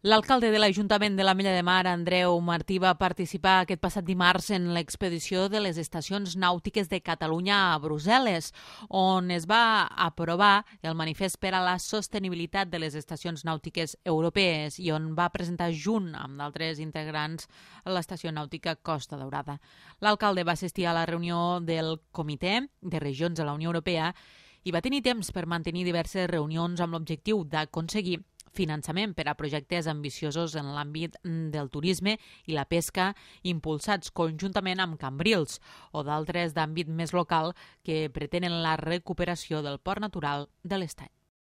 L'alcalde de l'Ajuntament de l'Ametlla de Mar, Andreu Martí, va participar aquest passat dimarts en l'expedició de les estacions nàutiques de Catalunya a Brussel·les, on es va aprovar el manifest per a la sostenibilitat de les estacions nàutiques europees i on va presentar junt amb d'altres integrants l'estació nàutica Costa Daurada. L'alcalde va assistir a la reunió del Comitè de Regions de la Unió Europea i va tenir temps per mantenir diverses reunions amb l'objectiu d'aconseguir finançament per a projectes ambiciosos en l'àmbit del turisme i la pesca impulsats conjuntament amb Cambrils o d'altres d'àmbit més local que pretenen la recuperació del port natural de l'Estany.